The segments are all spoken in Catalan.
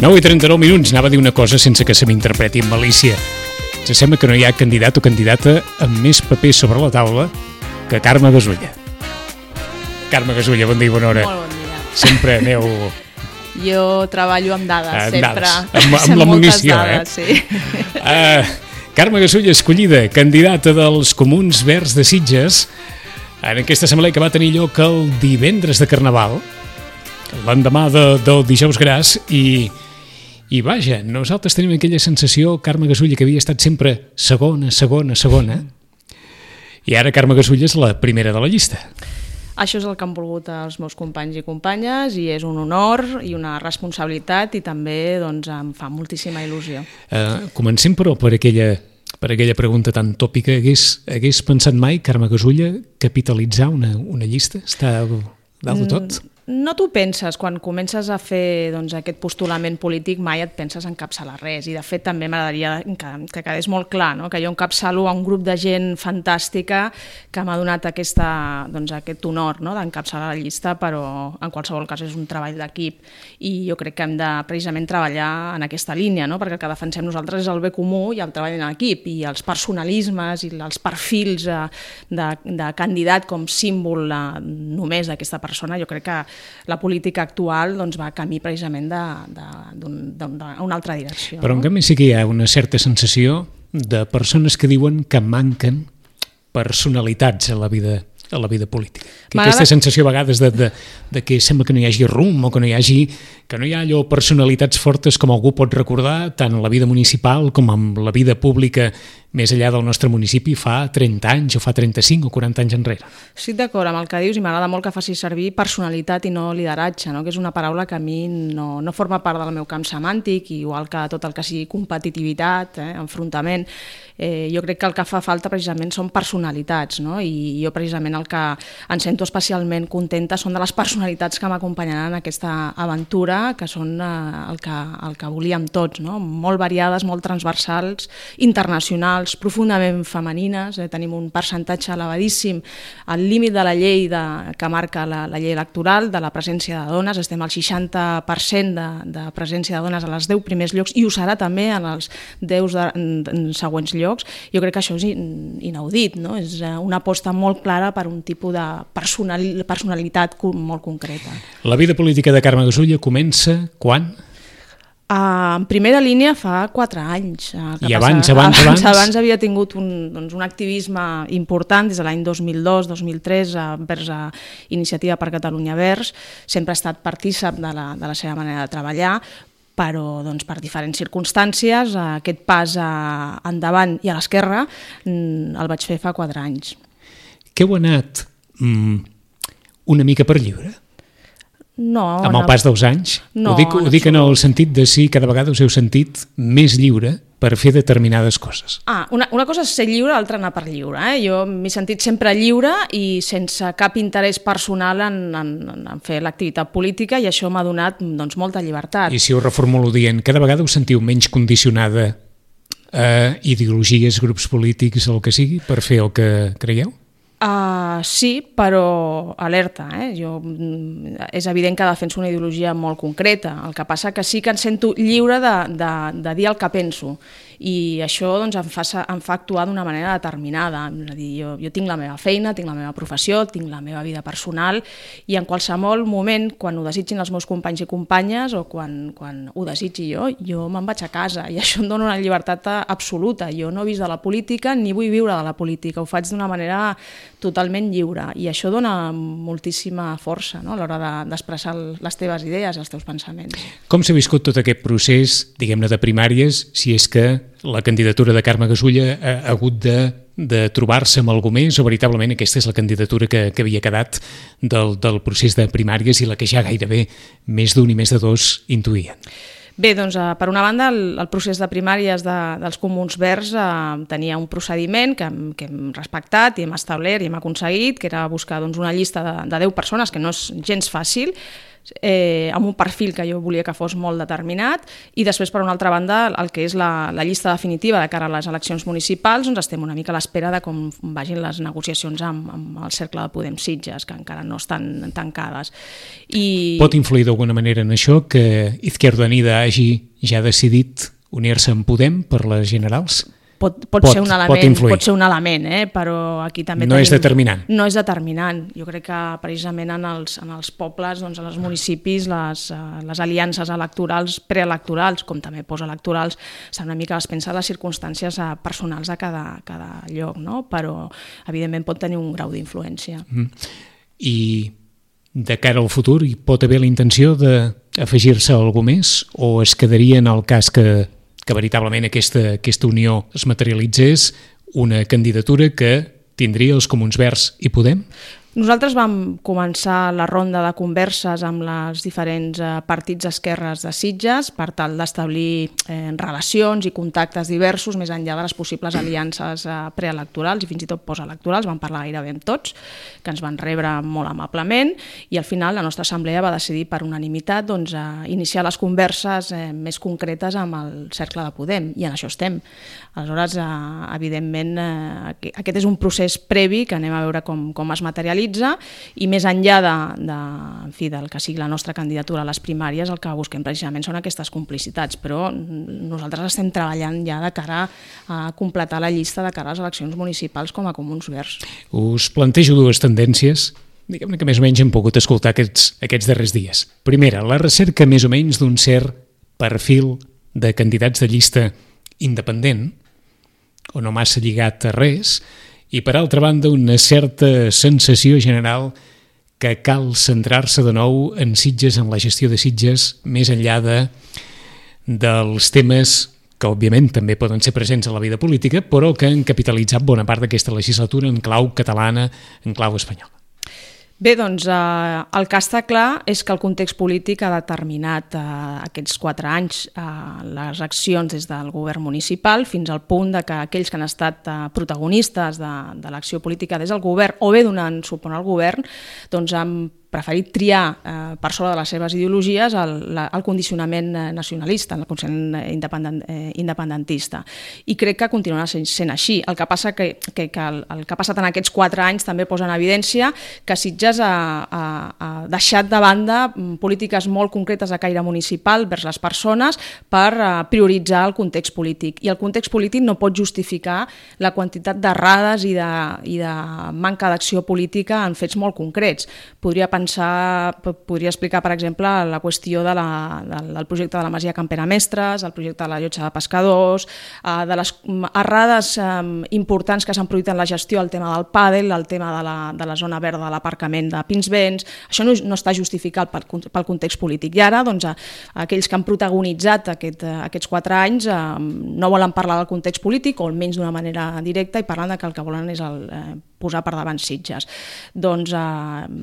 Nou i 39 minuts, anava a dir una cosa sense que se m'interpreti amb malícia. Se sembla que no hi ha candidat o candidata amb més papers sobre la taula que Carme Gasulla. Carme Gasulla, bon dia i bona hora. Molt bon dia. Sempre aneu... Jo treballo amb dades, sempre. Amb la munició, dades, sí. Carme Gasulla, escollida, candidata dels Comuns Verds de Sitges, en aquesta assemblea que va tenir lloc el divendres de Carnaval, l'endemà del dijous gras, i vaja, nosaltres tenim aquella sensació, Carme Gasulla, que havia estat sempre segona, i ara Carme Gasulla és la primera de la llista. Això és el que han volgut els meus companys i companyes i és un honor i una responsabilitat i també doncs, em fa moltíssima il·lusió. Comencem, però, per aquella pregunta tan tòpica. Hagués pensat mai, Carme Gasulla, capitalitzar una llista? Està dalt de tot? No t'ho penses, quan comences a fer doncs, aquest postulament polític mai et penses encapçalar res i de fet també m'agradaria que quedés molt clar, no? Que jo encapçalo a un grup de gent fantàstica que m'ha donat aquest honor, no? D'encapçalar la llista, però en qualsevol cas és un treball d'equip i jo crec que hem de precisament treballar en aquesta línia, no? Perquè el que defensem nosaltres és el bé comú i el treball en equip i els personalismes i els perfils de candidat com símbol només d'aquesta persona, jo crec que la política actual doncs, va camí precisament d'una altra direcció. Però en canvi sí que hi ha una certa sensació de persones que diuen que manquen personalitats a la vida política. Aquesta sensació a vegades de que sembla que no hi hagi rumb o que no hi ha allò personalitats fortes com algú pot recordar tant en la vida municipal com en la vida pública més enllà del nostre municipi fa 30 anys o fa 35 o 40 anys enrere. Estic d'acord amb el que dius i m'agrada molt que facis servir personalitat i no lideratge, no? Que és una paraula que a mi no forma part del meu camp semàntic, igual que tot el que sigui competitivitat, enfrontament. Jo crec que el que fa falta precisament són personalitats, no? I jo precisament el que em sento especialment contenta són de les personalitats que m'acompanyaran en aquesta aventura, que són el que volíem tots, no? Molt variades, molt transversals, internacionals, profundament femenines, tenim un percentatge elevadíssim al límit de la llei que marca la llei electoral de la presència de dones, estem al 60% de presència de dones a els 10 primers llocs i ho serà també en els 10 següents llocs. Jo crec que això és inaudit, no? És una aposta molt clara per un tipus de personalitat molt concreta. La vida política de Carme Gasulla comença quan? En primera línia fa 4 anys. I abans? Abans havia tingut un activisme important des de l'any 2002-2003 vers Iniciativa per Catalunya Verds. Sempre he estat partícip de la seva manera de treballar, però per diferents circumstàncies aquest pas endavant i a l'esquerra el vaig fer fa 4 anys. Que heu anat una mica per lliure? No. Amb el pas dels anys? No. Ho dic en el sentit de si cada vegada us heu sentit més lliure per fer determinades coses. Una cosa és ser lliure, l'altra anar per lliure. Jo m'he sentit sempre lliure i sense cap interès personal en fer l'activitat política i això m'ha donat molta llibertat. I si ho reformulo dient, cada vegada us sentiu menys condicionada a ideologies, grups polítics, el que sigui, per fer el que creieu? Sí, però alerta. És evident que defenso una ideologia molt concreta. El que passa que sí que em sento lliure de dir el que penso i això em fa actuar d'una manera determinada. És a dir, jo tinc la meva feina, tinc la meva professió, tinc la meva vida personal i en qualsevol moment, quan ho desitgin els meus companys i companyes o quan ho desitgi jo me'n vaig a casa i això em dona una llibertat absoluta. Jo no he vist de la política ni vull viure de la política, ho faig d'una manera totalment lliure i això dona moltíssima força, no? A l'hora d'expressar les teves idees, els teus pensaments. Com s'ha viscut tot aquest procés, diguem-ne, de primàries, si és que la candidatura de Carme Gasulla ha hagut de de trobar-se amb algú més o veritablement aquesta és la candidatura que havia quedat del procés de primàries i la que ja gairebé més d'un i més de dos intuïen? Bé, doncs, per una banda, el procés de primàries dels Comuns Verds tenia un procediment que hem respectat i hem establert i hem aconseguit, que era buscar una llista de 10 persones, que no és gens fàcil, amb un perfil que jo volia que fos molt determinat, i després, per una altra banda, el que és la llista definitiva de cara a les eleccions municipals, doncs estem una mica a l'espera de com vagin les negociacions amb el Cercle de Podem Sitges, que encara no estan tancades. Pot influir d'alguna manera en això que Izquierda Unida hagi ja decidit unir-se amb Podem per les generals? Pot ser un element, però aquí també no és determinant. No és determinant. Jo crec que precisament en els pobles, en els municipis, les aliances electorals, preelectorals, com també postelectorals, estan una mica a l'expensa de les circumstàncies personals de cada lloc, no? Però evidentment pot tenir un grau d'influència. I de cara al futur hi pot haver la intenció d'afegir-se a algú més o es quedaria en el cas que veritablement aquesta unió es materialitzés una candidatura que tindria els Comuns Verds i Podem? Nosaltres vam començar la ronda de converses amb les diferents partits d'esquerres de Sitges per tal d'establir relacions i contactes diversos més enllà de les possibles aliances preelectorals i fins i tot postelectorals. Vam parlar gairebé amb tots, que ens van rebre molt amablement, i al final la nostra assemblea va decidir per unanimitat iniciar les converses més concretes amb el Cercle de Podem, i en això estem. Aleshores, evidentment, aquest és un procés previ que anem a veure com es materialitza, i més enllà del que sigui la nostra candidatura a les primàries, el que busquem precisament són aquestes complicitats, però nosaltres estem treballant ja de cara a completar la llista de cara a les eleccions municipals com a Comuns Verds. Us plantejo dues tendències, diguem-ne que més o menys hem pogut escoltar aquests darrers dies. Primera, la recerca més o menys d'un cert perfil de candidats de llista independent, o no massa lligat a res, i per altra banda una certa sensació general que cal centrar-se de nou en Sitges, en la gestió de Sitges, més enllà dels temes que òbviament també poden ser presents a la vida política, però que han capitalitzat bona part d'aquesta legislatura en clau catalana, en clau espanyola. Bé, doncs el que està clar és que el context polític ha determinat aquests 4 anys les accions des del govern municipal fins al punt que aquells que han estat protagonistes de l'acció política des del govern o bé donant suport al govern doncs han preferit triar per sobre de les seves ideologies el condicionament nacionalista, el condicionament independentista. I crec que continuarà sent així. El que passa que el que ha passat en aquests 4 anys també posa en evidència que Sitges ha deixat de banda polítiques molt concretes de caire municipal vers les persones per prioritzar el context polític. I el context polític no pot justificar la quantitat d'errades i de manca d'acció política en fets molt concrets. Podria explicar, per exemple, la qüestió del projecte de la Masia Can Pere Mestres, el projecte de la llotja de pescadors, de les errades importants que s'han produït en la gestió, el tema del pàdel, el tema de la zona verda de l'aparcament de Pinsbens. Això no està justificat pel context polític. I ara, aquells que han protagonitzat aquests 4 anys no volen parlar del context polític, o almenys d'una manera directa, i parlant que el que volen és posar per davant Sitges. Doncs,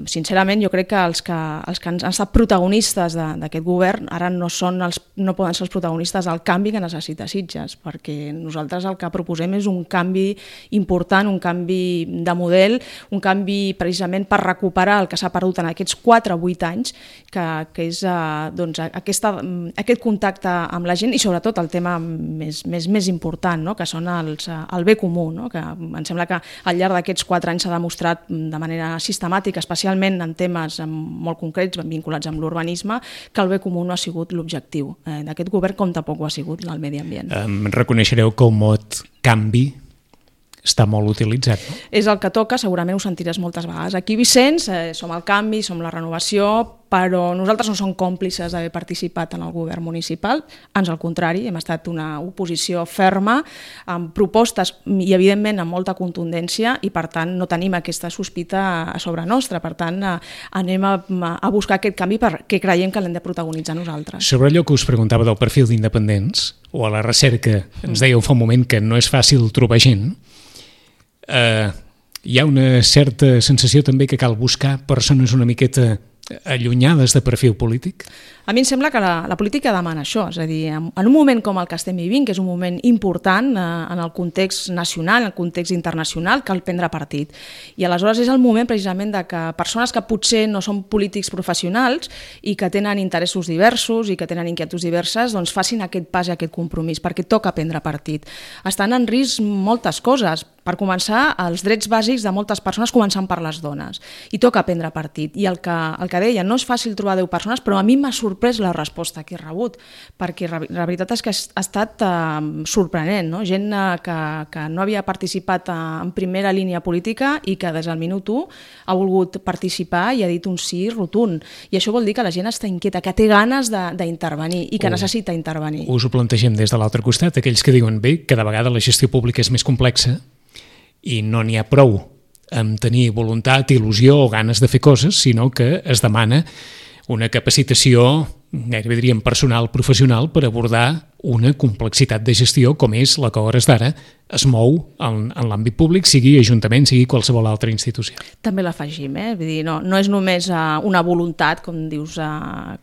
sincerament, jo crec que els que han estat protagonistes d'aquest govern ara no poden ser els protagonistes del canvi que necessita Sitges, perquè nosaltres el que proposem és un canvi important, un canvi de model, un canvi precisament per recuperar el que s'ha perdut en aquests 4 o 8 anys, que és aquest contacte amb la gent i sobretot el tema més important, que són el bé comú, que em sembla que al llarg d'aquests 4 anys s'ha demostrat de manera sistemàtica, especialment en temes molt concrets vinculats amb l'urbanisme, que el bé comú no ha sigut l'objectiu d'aquest govern, com tampoc ho ha sigut el medi ambient. Reconeixereu que el mot canvi està molt utilitzat, no? És el que toca, segurament ho sentiràs moltes vegades. Aquí, Vicenç, som el canvi, som la renovació, però nosaltres no som còmplices d'haver participat en el govern municipal, ans al contrari, hem estat una oposició ferma, amb propostes i evidentment amb molta contundència, i per tant no tenim aquesta sospita a sobre nostra. Per tant, anem a buscar aquest canvi perquè creiem que l'hem de protagonitzar nosaltres. Sobre allò que us preguntava del perfil d'independents, o a la recerca, ens dèieu fa un moment que no és fàcil trobar gent. hi ha una certa sensació també que cal buscar persones una miqueta allunyades de perfil polític? A mi em sembla que la política demana això, és a dir, en un moment com el que estem vivint, que és un moment important en el context nacional, en el context internacional, cal prendre partit. I aleshores és el moment precisament de que persones que potser no són polítics professionals i que tenen interessos diversos i que tenen inquietuds diverses, doncs facin aquest pas i aquest compromís, perquè toca prendre partit. Estan en risc moltes coses. Per començar, els drets bàsics de moltes persones, començant per les dones. I toca prendre partit. I el que deia, no és fàcil trobar 10 persones, però a mi m'ha sorprès la resposta que he rebut, perquè la veritat és que ha estat sorprenent, no? Gent que no havia participat en primera línia política i que des del minut 1 ha volgut participar i ha dit un sí rotund. I això vol dir que la gent està inquieta, que té ganes d'intervenir i que necessita intervenir. Us ho plantegem des de l'altre costat, aquells que diuen bé, cada vegada la gestió pública és més complexa i no n'hi ha prou amb tenir voluntat, il·lusió o ganes de fer coses, sinó que es demana una capacitació, gairebé diríem personal, professional, per abordar una complexitat de gestió com és la que a hores d'ara es mou en l'àmbit públic, sigui ajuntament, sigui qualsevol altra institució. També l'afegim, vull dir, no és només una voluntat, com dius,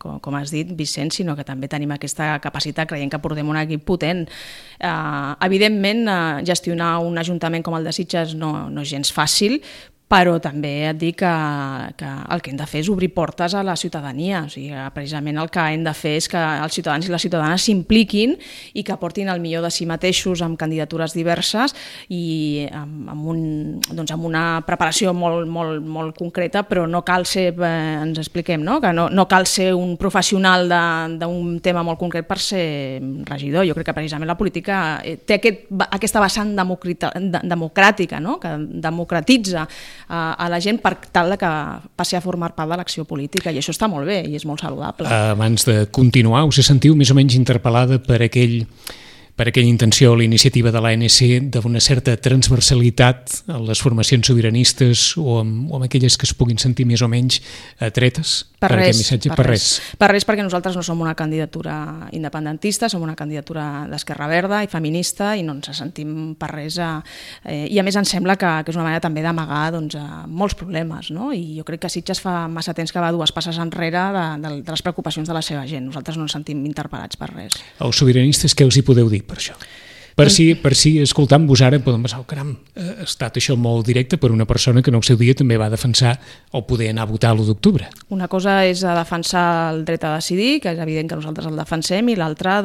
com has dit, Vicent, sinó que també tenim aquesta capacitat, creiem que portem un equip potent. Evidentment, gestionar un ajuntament com el de Sitges no és gens fàcil, però també et dic que el que hem de fer és obrir portes a la ciutadania. O sigui, precisament el que hem de fer és que els ciutadans i les ciutadanes s'impliquin i que aportin el millor de si mateixos amb candidatures diverses i amb una preparació molt concreta, però no cal ser, ens expliquem, no? Que no cal ser un professional d'un tema molt concret per ser regidor. Jo crec que precisament la política té aquesta vessant democràtica, no? Que democratitza a la gent per tal que passi a formar part de l'acció política, i això està molt bé i és molt saludable. Abans de continuar, us sentiu més o menys interpel·lada per aquella intenció o la iniciativa de l'ANC d'una certa transversalitat a les formacions sobiranistes o amb aquelles que es puguin sentir més o menys atretes per aquest missatge? Per res, perquè nosaltres no som una candidatura independentista, som una candidatura d'Esquerra Verda i feminista i no ens sentim per res. I a més ens sembla que és una manera també d'amagar molts problemes, no? I jo crec que Sitges fa massa temps que va dues passes enrere de les preocupacions de la seva gent. Nosaltres no ens sentim interpel·lats per res. Els sobiranistes, què us hi podeu dir per això? Per si escoltant-vos ara podem pensar, caram, ha estat això molt directe per una persona que en el seu dia també va defensar o poder anar a votar l'1 d'octubre. Una cosa és defensar el dret a decidir, que és evident que nosaltres el defensem, i l'altra,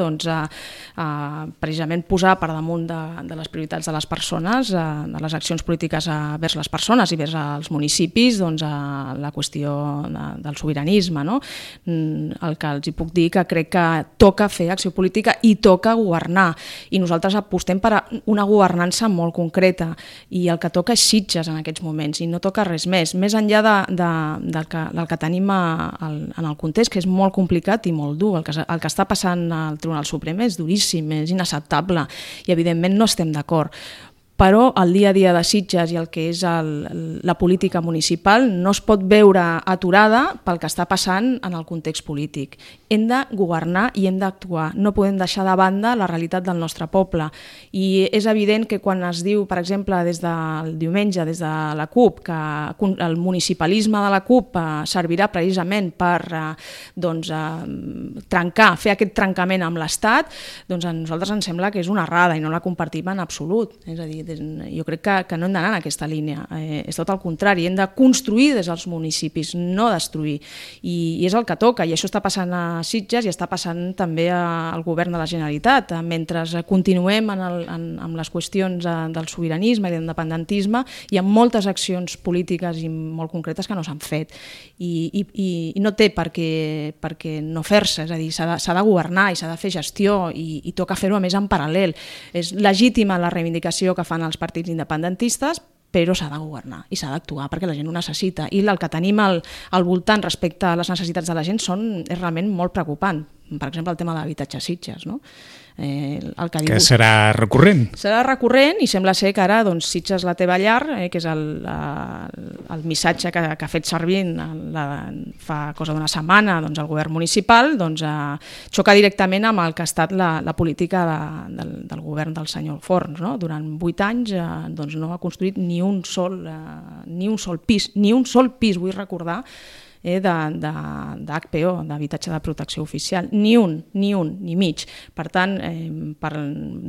precisament posar per damunt de les prioritats de les persones, de les accions polítiques vers les persones i vers els municipis, la qüestió del sobiranisme, no? El que els hi puc dir que crec que toca fer acció política i toca governar, i nosaltres apostem per una governança molt concreta, i el que toca és Sitges en aquests moments, i no toca res més enllà del que tenim en el context, que és molt complicat i molt dur. El que està passant al Tribunal Suprem és duríssim, és inacceptable, i evidentment no estem d'acord. Però el dia a dia de Sitges i el que és la política municipal no es pot veure aturada pel que està passant en el context polític. Hem de governar i hem d'actuar. No podem deixar de banda la realitat del nostre poble. I és evident que quan es diu, per exemple, des del diumenge, des de la CUP, que el municipalisme de la CUP servirà precisament per fer aquest trencament amb l'Estat, doncs a nosaltres ens sembla que és una errada i no la compartim en absolut. És a dir, jo crec que no hem d'anar en aquesta línia, és tot el contrari, hem de construir des dels municipis, no destruir, i és el que toca, i això està passant a Sitges i està passant també al govern de la Generalitat. Mentre continuem amb les qüestions del sobiranisme i de l'independentisme, hi ha moltes accions polítiques i molt concretes que no s'han fet, i no té per què no fer-se, és a dir, s'ha de governar i s'ha de fer gestió, i toca fer-ho a més en paral·lel. És legítima la reivindicació que fan els partits independentistes, però s'ha de governar i s'ha d'actuar perquè la gent ho necessita, i el que tenim al voltant respecte a les necessitats de la gent és realment molt preocupant. per exemple, el tema de l'habitatge a Sitges, no? Que serà recurrent. Serà recurrent i sembla ser que ara doncs, Sitges la teva llar, que és el missatge que ha fet servir fa cosa d'una setmana doncs, el govern municipal, doncs, xoca directament amb el que ha estat la política del govern del senyor Forns. No? Durant 8 anys doncs, no ha construït ni un sol pis, vull recordar, d'HPO, d'habitatge de protecció oficial, ni mig. Per tant, per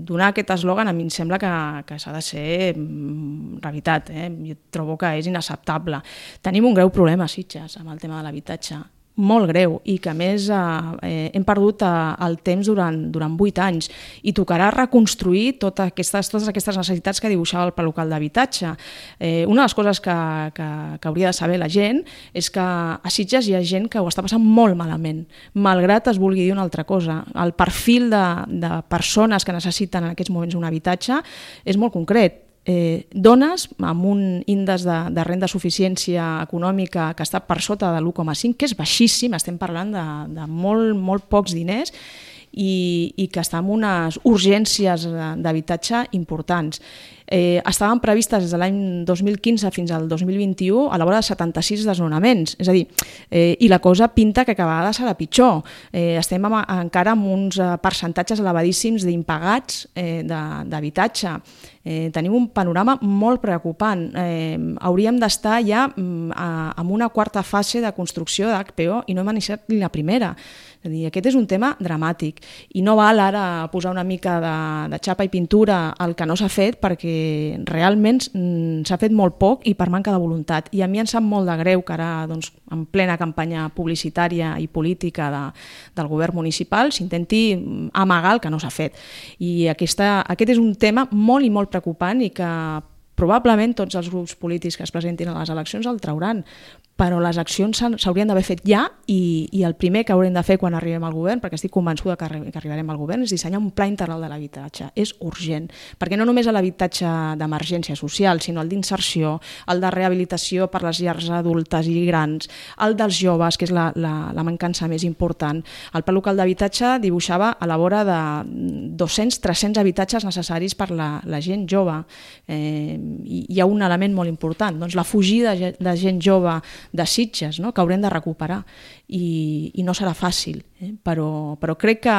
donar aquest eslògan a mi em sembla que s'ha de ser realitat. Jo trobo que és inacceptable. Tenim un greu problema a Sitges amb el tema de l'habitatge, molt greu, i que a més hem perdut el temps durant 8 anys i tocarà reconstruir totes aquestes necessitats que dibuixava el pla local d'habitatge. Una de les coses que hauria de saber la gent és que a Sitges hi ha gent que ho està passant molt malament, malgrat es vulgui dir una altra cosa. El perfil de persones que necessiten en aquests moments un habitatge és molt concret. Dones amb un índex de renda de suficiència econòmica que està per sota de l'1,5, que és baixíssim, estem parlant de molt pocs diners, i que està amb unes urgències d'habitatge importants. Estaven previstes des de l'any 2015 fins al 2021 a la vora de 76 desnonaments, és a dir, i la cosa pinta que cada vegada serà pitjor. Estem encara amb uns percentatges elevadíssims d'impagats d'habitatge. Tenim un panorama molt preocupant. Hauríem d'estar ja en una quarta fase de construcció d'HPO i no hem iniciat ni la primera. És a dir, aquest és un tema dramàtic i no val ara posar una mica de xapa i pintura al que no s'ha fet, perquè realment s'ha fet molt poc i per manca de voluntat. I a mi em sap molt de greu que ara, doncs, en plena campanya publicitària i política del govern municipal, s'intenti amagar el que no s'ha fet. I aquest és un tema molt i molt preocupant i que probablement tots els grups polítics que es presentin a les eleccions el trauran, però les accions s'haurien d'haver fet ja i el primer que haurem de fer quan arribem al govern, perquè estic convençuda que arribarem al govern, és dissenyar un pla integral de l'habitatge. És urgent, perquè no només l'habitatge d'emergència social, sinó el d'inserció, el de rehabilitació per les llars adultes i grans, el dels joves, que és la mancança més important. El pla local d'habitatge dibuixava a la vora de 200-300 habitatges necessaris per la gent jove. Hi ha un element molt important, doncs la fugida de gent jove de Sitges, no? Que haurem de recuperar i no serà fàcil, però crec que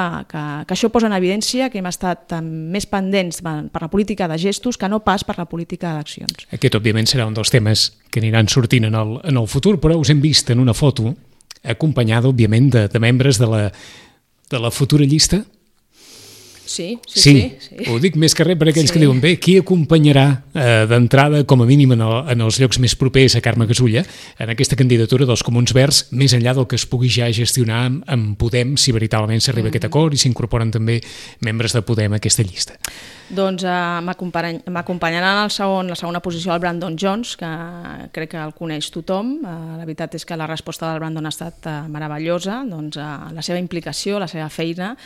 això posa en evidència que hem estat més pendents per la política de gestos que no pas per la política d'accions. Aquest, òbviament, serà un dels temes que aniran sortint en el futur, però us hem vist en una foto acompanyada, òbviament, de membres de la futura llista. Sí. Ho dic més que res per aquells que diuen, bé, qui acompanyarà d'entrada, com a mínim en els llocs més propers a Carme Gasulla, en aquesta candidatura dels Comuns Verds, més enllà del que es pugui ja gestionar amb Podem, si veritablement s'arriba a aquest acord i s'incorporen també membres de Podem a aquesta llista? Doncs m'acompanyaran en la segona posició el Brandon Jones, que crec que el coneix tothom. La veritat és que la resposta del Brandon ha estat meravellosa, doncs, la seva implicació, la seva feina.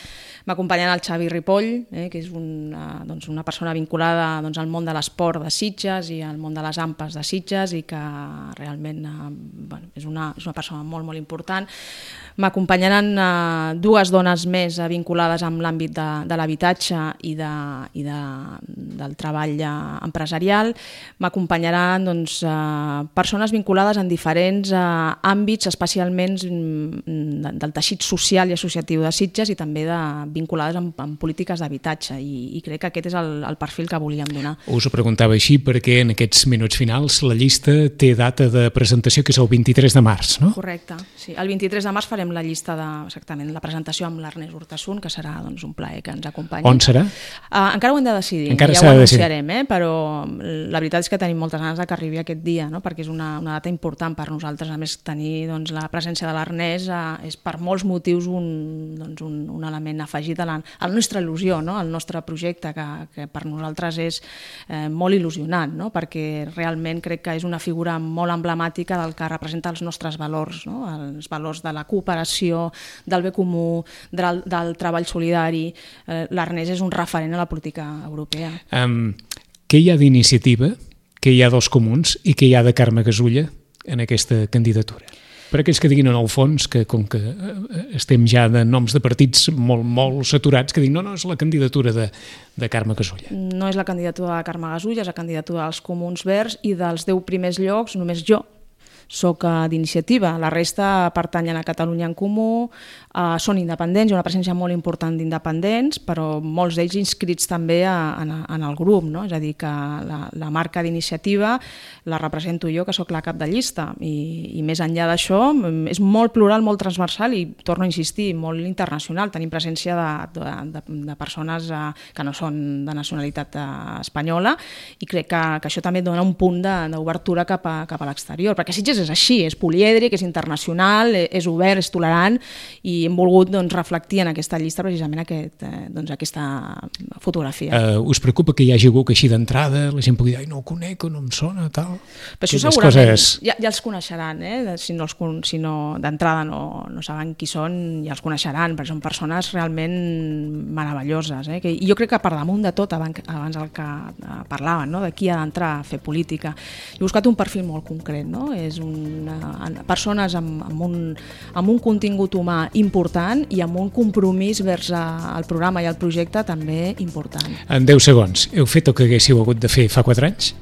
M'acompanyaran el Xavi Ripoll, que és una persona vinculada al món de l'esport de Sitges i al món de les AMPAs de Sitges i que realment és una persona molt, molt important. M'acompanyaran dues dones més vinculades amb l'àmbit de l'habitatge i del treball empresarial. M'acompanyaran persones vinculades en diferents àmbits, especialment del teixit social i associatiu de Sitges i també vinculades amb polítiques d'habitatge i crec que aquest és el perfil que volíem donar. Us ho preguntava així perquè en aquests minuts finals la llista té data de presentació que és el 23 de març, no? Correcte, sí. El 23 de març farem la llista exactament la presentació amb l'Ernest Urtasun, que serà un plaer que ens acompanyi. On serà? Encara ho hem de decidir, ja ho anunciarem, però la veritat és que tenim moltes ganes que arribi aquest dia, no? Perquè és una data important per nosaltres. A més, tenir la presència de l'Ernest és per molts motius un element afegit a la nostra il·lusió, no? Al nostre projecte, que per nosaltres és molt il·lusionant, no? Perquè realment crec que és una figura molt emblemàtica del que representa els nostres valors, no? Els valors de la cooperació, del bé comú, del treball solidari. L'Ernest és un referent a la política europea. Què hi ha d'iniciativa, què hi ha dels Comuns i què hi ha de Carme Gasulla en aquesta candidatura? Per aquells que diguin en el fons que com que estem ja de noms de partits molt saturats, que diuen no, és la candidatura de Carme Gasulla. No és la candidatura de Carme Gasulla, és la candidatura dels Comuns Verds i dels 10 primers llocs només jo soc d'iniciativa. La resta pertanyen a Catalunya en Comú, són independents, hi ha una presència molt important d'independents, però molts d'ells inscrits també en el grup, no? És a dir, que la marca d'iniciativa la represento jo, que sóc la cap de llista, i més enllà d'això és molt plural, molt transversal i, torno a insistir, molt internacional. Tenim presència de persones que no són de nacionalitat espanyola i crec que això també dona un punt d'obertura cap a l'exterior, perquè Sitges és així, és polièdric, és internacional, és obert, és tolerant, i hem volgut reflectir en aquesta llista precisament aquesta fotografia. Us preocupa que hi hagi algú que així d'entrada la gent pugui dir, no ho conec o no em sona, tal? Però això segurament ja els coneixeran, si no d'entrada no saben qui són, ja els coneixeran, perquè són persones realment meravelloses. I jo crec que per damunt de tot, abans el que parlaven, de qui ha d'entrar a fer política, he buscat un perfil molt concret, és persones amb un contingut humà important i amb un compromís vers el programa i el projecte també important. En 10 segons, heu fet el que haguéssiu hagut de fer fa 4 anys?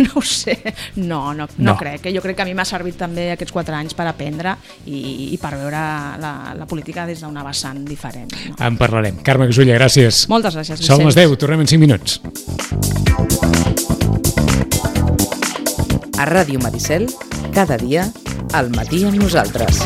No ho sé, no crec. Jo crec que a mi m'ha servit també aquests 4 anys per aprendre i per veure la política des d'una vessant diferent. En parlarem. Carme Gasulla, gràcies. Moltes gràcies, Vicenç. Són les 10, tornem en 5 minuts. A Ràdio Maricel, cada dia, al matí amb nosaltres.